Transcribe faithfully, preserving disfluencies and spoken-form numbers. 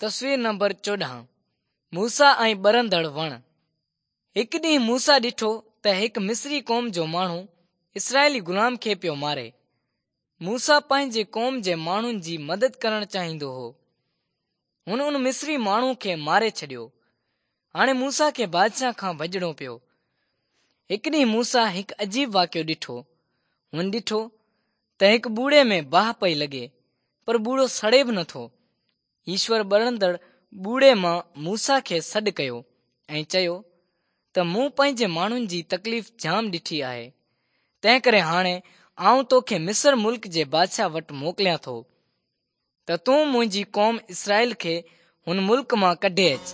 تصوير نمبر چوڏهن موسيٰ ۽ ٻرندڙ وڻ. هڪ ڏينهن موسيٰ ڏٺو ته هڪ مصري قوم جو ماڻهو اسرائيلي غلام کي پيو ماري. موسيٰ پنهنجي قوم جي ماڻهن جي مدد ڪرڻ چاهيندو هو. هن ان مصري ماڻهو کي ماري ڇڏيو. هاڻي موسيٰ کي بادشاهه کان ڀڄڻو پيو. هڪ ڏينهن موسيٰ هڪ عجيب واقعو ڏٺو. هن ڏٺو ته هڪ ٻوڙي ۾ باهه پئي لڳي پر ٻوڙو سڙي به نٿو. ايشور ٻرندڙ ٻوڙي مان موسيٰ کي سڏ ڪيو ۽ چيو ته مون پنهنجي ماڻهن جي تڪليف جام ڏٺي آهي، تنهن ڪري هاڻي آئون توکي مصر ملڪ جي بادشاهه وٽ موڪليان ٿو ته تون منهنجي قوم اسرائيل کي هن ملڪ مان ڪڍي اچ.